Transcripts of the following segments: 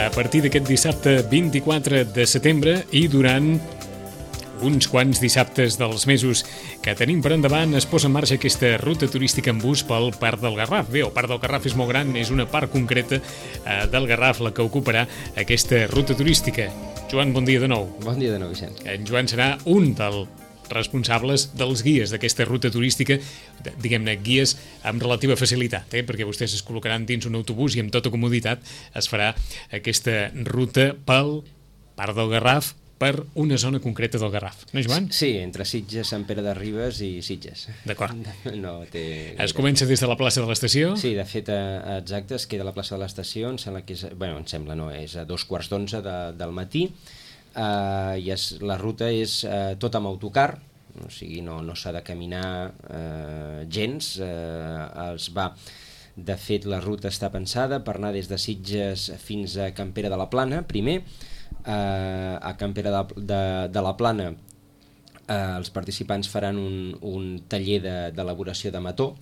a partir d'aquest dissabte 24 de setembre i durant uns quants dissabtes dels mesos que tenim per endavant es posa en marxa aquesta ruta turística en bus pel Parc del Garraf. Bé, el Parc del Garraf és molt gran, és una part concreta del Garraf la que ocuparà aquesta ruta turística. Joan, bon dia de nou. Bon dia de nou, Vicent. En Joan serà un dels responsables dels guies d'aquesta ruta turística, diguem-ne, guies amb relativa facilitat, perquè vostès es col·locaran dins un autobús i amb tota comoditat es farà aquesta ruta pel Parc del Garraf, per una zona concreta del Garraf. No, Joan? Sí, entre Sitges, Sant Pere de Ribes i Sitges. D'acord. No té... Es comença des de la plaça de l'estació? Sí, de fet, exacte, es queda a la plaça de l'estació, em sembla que és... Bueno, em sembla, no, és a 2:15 del matí, i la ruta és tot amb autocar, o sigui, no s'ha de caminar gens, De fet, la ruta està pensada per anar des de Sitges fins a Can Pere de la Plana, primer. A Can Pere de la Plana els participants faran un taller d'elaboració de mató.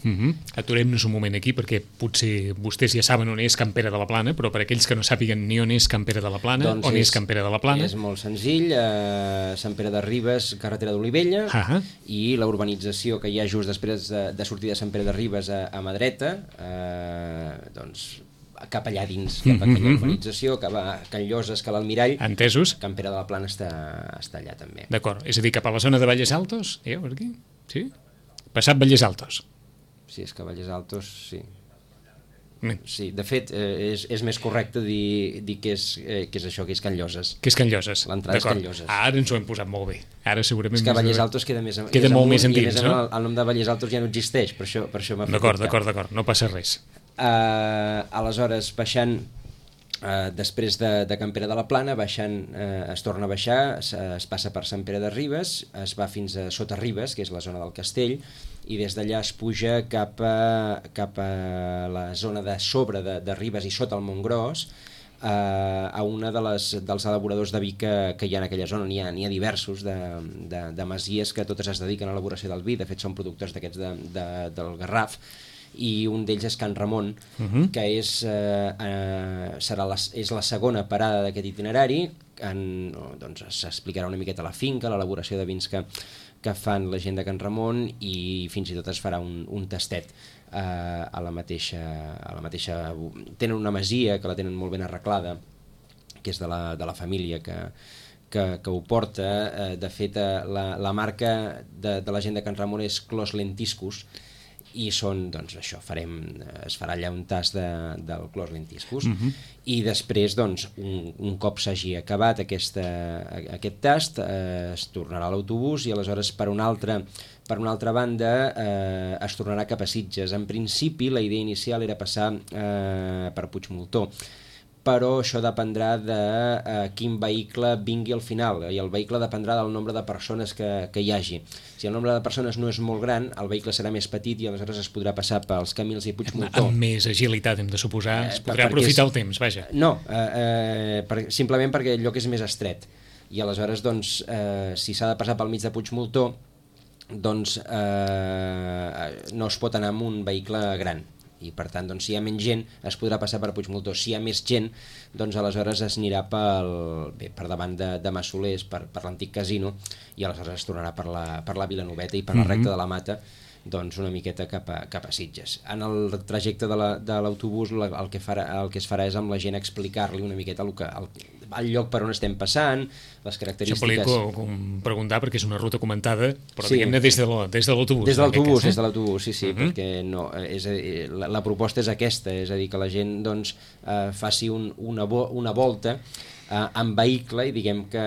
Aturem-nos un moment aquí perquè potser vostès ja saben on és Can Pere de la Plana, però per aquells que no sàpiguen ni on és Can Pere de la Plana, doncs on és Can Pere de la Plana? És molt senzill, Sant Pere de Ribes, carretera d'Olivella, i la urbanització que hi ha just després de sortir de Sant Pere de Ribes a mà dreta, doncs cap allà dins, cap a aquella urbanització, que va a Can Lloses, que l'Almirall. Entesos. Can Pere de la Plana està allà també. D'acord, és a dir, cap a la zona de Valles Altos, per aquí? Sí? Passat Valles Altos. Sí, és que Valles Altos, sí. Sí, de fet, és més correcte dir que és això, que és Can Lloses. Que és Can Lloses. L'entrada és Can Lloses. Ara ens ho hem posat molt bé. Ara segurament... És que Valles Altos queda més molt més endins, no? El nom de Valles Altos ja no existeix, per això m'ha fet... D'acord, no passa res. Aleshores, baixant, després de Can Pere de la Plana, es torna a baixar, es passa per Sant Pere de Ribes, es va fins a Sota Ribes, que és la zona del castell, i des d'allà es puja cap a la zona de sobre de Ribes i sota el Montgròs, a una dels elaboradors de vi que hi ha en aquella zona. N'hi ha diversos de masies que totes es dediquen a l'elaboració del vi, de fet són productors d'aquests del Garraf, i un d'ells és Can Ramon, que és la segona parada d'aquest itinerari. Doncs s'explicarà una miqueta la finca, l'elaboració de vins que fan la gent de Can Ramon, i fins i tot es farà un tastet a la mateixa... Tenen una masia que la tenen molt ben arreglada, que és de la família que ho porta. De fet, la marca de la gent de Can Ramon és Clos Lentiscus, i són, doncs això, es farà allà un tast del Clos Lentiscus, i després, doncs, un cop s'hagi acabat aquest tast, es tornarà a l'autobús, i aleshores per una altra banda es tornarà cap a Sitges. En principi la idea inicial era passar per Puigmoltó, però això dependrà de quin vehicle vingui al final, i el vehicle dependrà del nombre de persones que hi hagi. Si el nombre de persones no és molt gran, el vehicle serà més petit i aleshores es podrà passar pels Camils i Puigmoltó. Amb més agilitat, hem de suposar, es podrà aprofitar el temps, vaja. No, simplement perquè el lloc és més estret, i aleshores, doncs, si s'ha de passar pel mig de Puigmoltó, doncs no es pot anar amb un vehicle gran, i per tant, doncs, si hi ha menys gent es podrà passar per Puigmoltó. Si hi ha més gent, doncs aleshores es anirà per davant de Massolers, per l'antic casino, i aleshores es tornarà per la Vilanoveta i per la recta de la Mata, doncs una miqueta cap a Sitges. En el trajecte de l'autobús el que es farà és amb la gent explicar-li una miqueta el lloc per on estem passant, les característiques... Això volia preguntar perquè és una ruta comentada, però diguem-ne des de l'autobús. Des de l'autobús, sí, perquè no, la proposta és aquesta, és a dir, que la gent doncs faci una volta en vehicle, i diguem que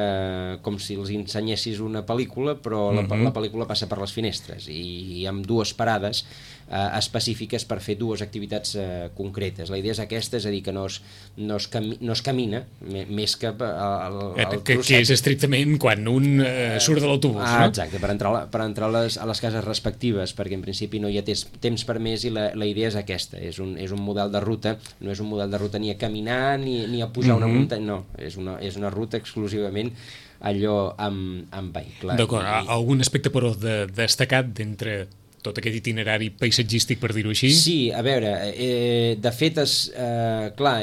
com si els ensenyessis una pel·lícula, però la pel·lícula passa per les finestres, i amb dues parades específiques per fer dues activitats concretes. La idea és aquesta, és a dir, que no es camina més que que és estrictament quan un surt de l'autobús, no? Exacte, per entrar a les cases respectives, perquè en principi no hi ha temps per més, i la idea és aquesta, és un model de ruta, no és un model de ruta ni a caminar ni a pujar una muntanya, no, és una ruta exclusivament allò amb vehicle. D'acord, algun aspecte però destacat d'entre tot aquest itinerari paisatgístic, per dir-ho així? Sí, a veure, de fet, clar,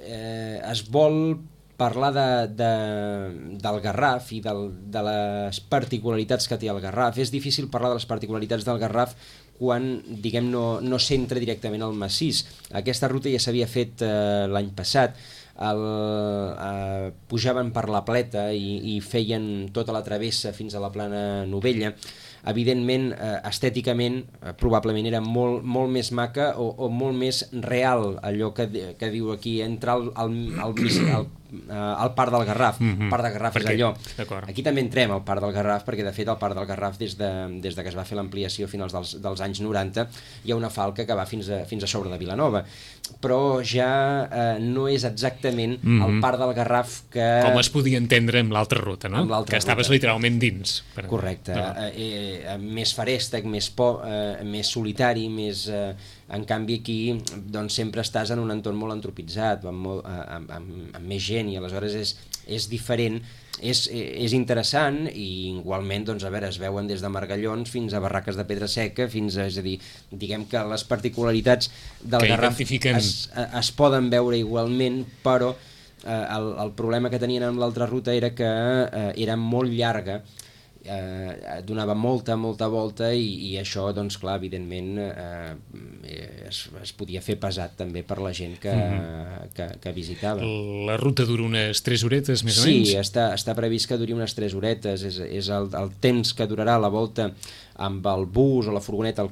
es vol parlar del Garraf i de les particularitats que té el Garraf. És difícil parlar de les particularitats del Garraf quan, diguem, no s'entra directament al massís. Aquesta ruta ja s'havia fet l'any passat. Pujaven per la Pleta i feien tota la travessa fins a la Plana Novella. Evidentment, estèticament, probablement era molt més maca o molt més real, allò que diu aquí, entrar al Parc del Garraf. El Parc del Garraf és allò. Aquí també entrem al Parc del Garraf, perquè de fet el Parc del Garraf, des de que es va fer l'ampliació a finals dels anys 90, hi ha una falca que va fins a sobre de Vilanova. Però ja no és exactament el Parc del Garraf que... Com es podia entendre amb l'altra ruta, no? Que estaves literalment dins. Correcte. Més farèstec, més solitari, més... En canvi aquí doncs, sempre estàs en un entorn molt antropitzat, amb més gent, i aleshores és diferent, és interessant, i igualment doncs, es veuen des de margallons fins a barraques de pedra seca, és a dir, diguem que les particularitats del Garraf es poden veure igualment, però el problema que tenien amb l'altra ruta era que era molt llarga, donava molta volta, i això, doncs clar, evidentment es podia fer pesat també per la gent que visitava. La ruta dura unes 3 horetes més o menys? Sí, està previst que duri unes 3 horetes, és el temps que durarà la volta amb el bus o la furgoneta,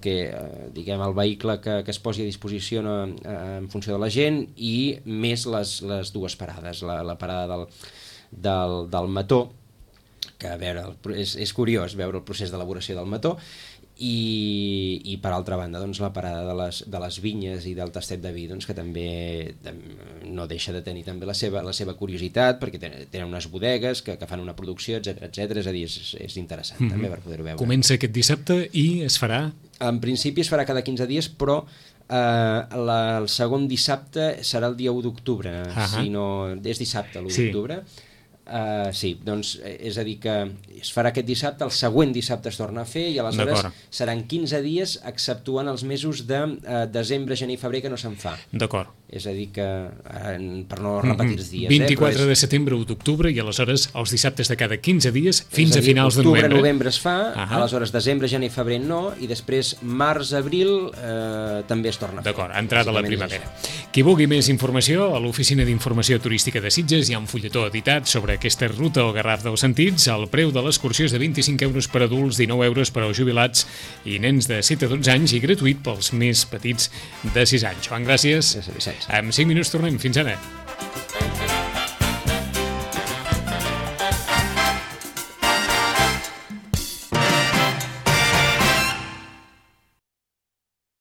diguem, el vehicle que es posi a disposició en funció de la gent, i més les dues parades, la parada del mató, que a veure, és curiós veure el procés d'elaboració del mató, i per altra banda doncs, la parada de les vinyes i del tastet de vi, doncs, que també no deixa de tenir també la seva curiositat, perquè tenen unes bodegues que fan una producció, etc. És a dir, és interessant també per poder-ho veure. Comença aquest dissabte i es farà? En principi es farà cada 15 dies, però el segon dissabte serà el dia 1 d'octubre, si no... És dissabte, l'1 d'octubre. Sí, doncs és a dir que es farà aquest dissabte, el següent dissabte es torna a fer, i aleshores seran 15 dies exceptuant els mesos de desembre, gener i febrer, que no se'n fa. D'acord. És a dir que, per no repetir els dies... 24 de setembre, 1 d'octubre, i aleshores els dissabtes de cada 15 dies fins a finals de novembre. Octubre-novembre es fa, aleshores desembre, gener i febrer no, i després març-abril també es torna a fer. D'acord, entrada a la primavera. Qui vulgui més informació, a l'Oficina d'Informació Turística de Sitges hi ha un fulletó editat sobre aquesta ruta al Garraf dels Sentits. El preu de l'excursió és de 25 euros per adults, 19 euros per als jubilats i nens de 7 a 12 anys, i gratuït pels més petits de 6 anys. Joan, gràcies. En 5 minuts tornem. Fins ara.